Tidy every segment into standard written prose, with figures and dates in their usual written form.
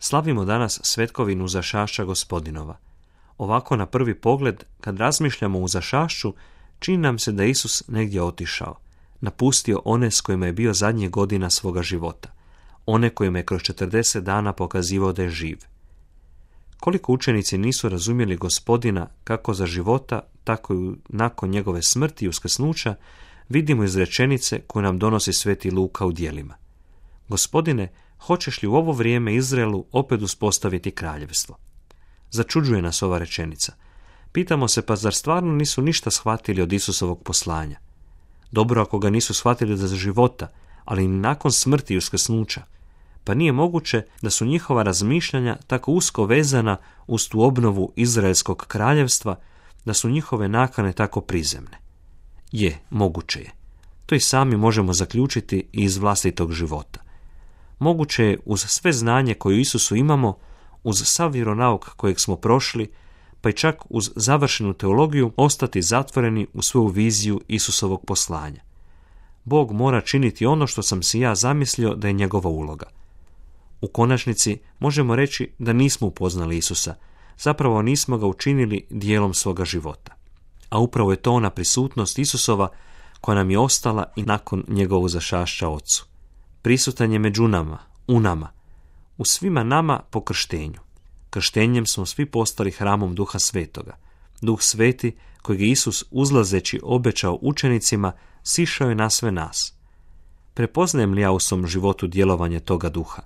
Slavimo danas svetkovinu uzašašća Gospodinova. Ovako na prvi pogled, kad razmišljamo o uzašašću, čini nam se da je Isus negdje otišao, napustio one s kojima je bio zadnjih godina svoga života, one kojima je kroz 40 dana pokazivao da je živ. Koliko učenici nisu razumjeli Gospodina kako za života, tako i nakon njegove smrti i uskrsnuća, vidimo iz rečenice koju nam donosi sveti Luka u djelima. Gospodine, hoćeš li u ovo vrijeme Izraelu opet uspostaviti kraljevstvo? Začuđuje nas ova rečenica. Pitamo se, pa zar stvarno nisu ništa shvatili od Isusovog poslanja? Dobro ako ga nisu shvatili za života, ali i nakon smrti i uskrsnuća. Pa nije moguće da su njihova razmišljanja tako usko vezana uz tu obnovu Izraelskog kraljevstva, da su njihove nakane tako prizemne. Je, moguće je. To i sami možemo zaključiti i iz vlastitog života. Moguće je uz sve znanje koje u Isusu imamo, uz sav vjeronauk kojeg smo prošli, pa i čak uz završenu teologiju, ostati zatvoreni u svoju viziju Isusovog poslanja. Bog mora činiti ono što sam si ja zamislio da je njegova uloga. U konačnici možemo reći da nismo upoznali Isusa, zapravo nismo ga učinili dijelom svoga života. A upravo je to ona prisutnost Isusova koja nam je ostala i nakon njegovog uzašašća Otcu. Prisutan je među nama, u nama, u svima nama po krštenju. Krštenjem smo svi postali hramom Duha Svetoga. Duh Sveti, kojeg je Isus uzlazeći obećao učenicima, sišao je na sve nas. Prepoznajem li ja u svom životu djelovanje toga Duha?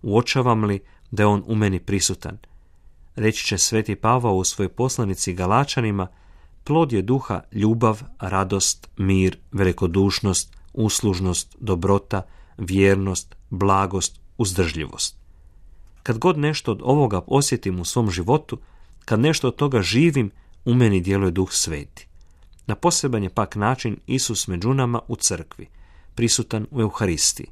Uočavam li da je on u meni prisutan? Reći će sveti Pavao u svojoj poslanici Galačanima, plod je Duha ljubav, radost, mir, velikodušnost, uslužnost, dobrota, vjernost, blagost, uzdržljivost. Kad god nešto od ovoga osjetim u svom životu, kad nešto od toga živim, u meni djeluje Duh Sveti. Na poseban je pak način Isus među nama u crkvi, prisutan u Euharistiji.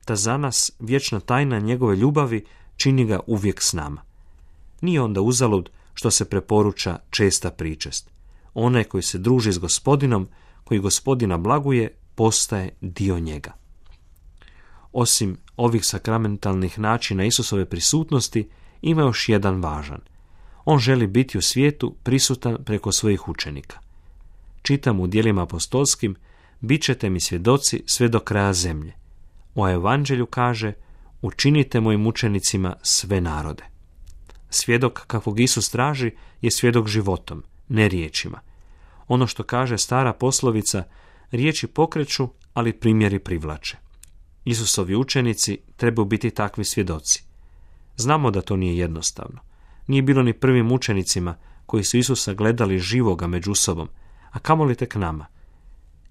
Ta za nas vječna tajna njegove ljubavi čini ga uvijek s nama. Nije onda uzalud što se preporuča česta pričest. Onaj koji se druži s Gospodinom, koji Gospodina blaguje, postaje dio njega. Osim ovih sakramentalnih načina Isusove prisutnosti, ima još jedan važan. On želi biti u svijetu prisutan preko svojih učenika. Čitam u djelima apostolskim, bit ćete mi svjedoci sve do kraja zemlje. O evanđelju kaže, učinite mojim učenicima sve narode. Svjedok kakvog Isus traži je svjedok životom, ne riječima. Ono što kaže stara poslovica, riječi pokreću, ali primjeri privlače. Isusovi učenici trebaju biti takvi svjedoci. Znamo da to nije jednostavno. Nije bilo ni prvim učenicima koji su Isusa gledali živoga među sobom, a kamoli tek nama.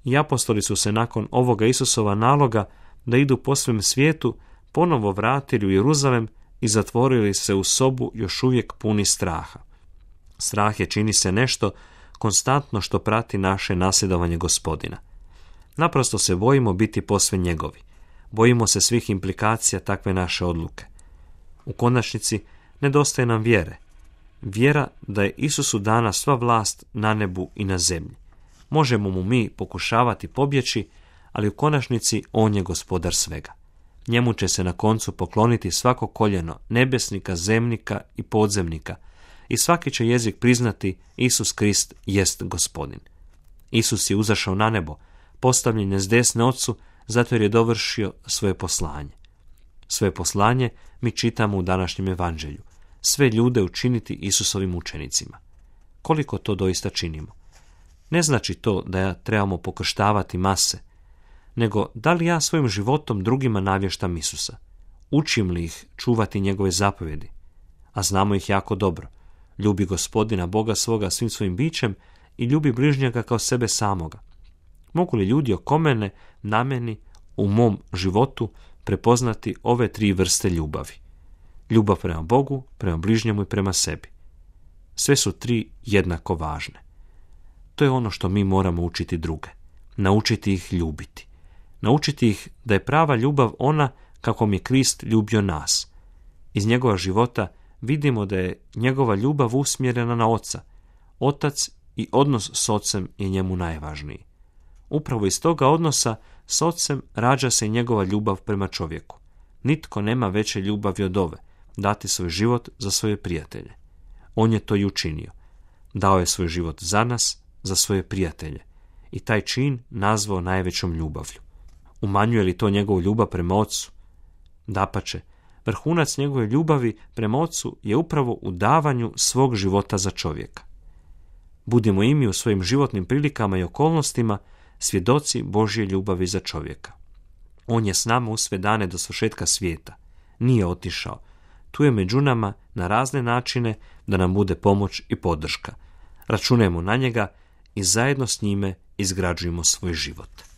I apostoli su se nakon ovoga Isusova naloga da idu po svem svijetu ponovo vratili u Jeruzalem i zatvorili se u sobu još uvijek puni straha. Strah je, čini se, nešto konstantno što prati naše nasljedovanje Gospodina. Naprosto se bojimo biti posve njegovi. Bojimo se svih implikacija takve naše odluke. U konačnici nedostaje nam vjere. Vjera da je Isusu dana sva vlast na nebu i na zemlji. Možemo mu mi pokušavati pobjeći, ali u konačnici on je gospodar svega. Njemu će se na koncu pokloniti svako koljeno nebesnika, zemnika i podzemnika i svaki će jezik priznati Isus Krist jest Gospodin. Isus je uzašao na nebo, postavljen je s desne Otcu, zato jer je dovršio svoje poslanje. Svoje poslanje mi čitamo u današnjem evanđelju. Sve ljude učiniti Isusovim učenicima. Koliko to doista činimo? Ne znači to da ja trebamo pokrštavati mase, nego da li ja svojim životom drugima navještam Isusa? Učim li ih čuvati njegove zapovjedi? A znamo ih jako dobro. Ljubi Gospodina Boga svoga svim svojim bićem i ljubi bližnjega kao sebe samoga. Mogu li ljudi oko mene, na meni, u mom životu prepoznati ove tri vrste ljubavi? Ljubav prema Bogu, prema bližnjemu i prema sebi. Sve su tri jednako važne. To je ono što mi moramo učiti druge. Naučiti ih ljubiti. Naučiti ih da je prava ljubav ona kako je Krist ljubio nas. Iz njegova života vidimo da je njegova ljubav usmjerena na Oca. Otac i odnos s Ocem je njemu najvažniji. Upravo iz toga odnosa s Ocem rađa se njegova ljubav prema čovjeku. Nitko nema veće ljubavi od ove, dati svoj život za svoje prijatelje. On je to i učinio. Dao je svoj život za nas, za svoje prijatelje. I taj čin nazvao najvećom ljubavlju. Umanjuje li to njegovu ljubav prema Ocu? Dapače, vrhunac njegove ljubavi prema Ocu je upravo u davanju svog života za čovjeka. Budimo i mi u svojim životnim prilikama i okolnostima svjedoci Božje ljubavi za čovjeka. On je s nama u sve dane do svršetka svijeta. Nije otišao. Tu je među nama na razne načine da nam bude pomoć i podrška. Računajmo na njega i zajedno s njime izgrađujemo svoj život.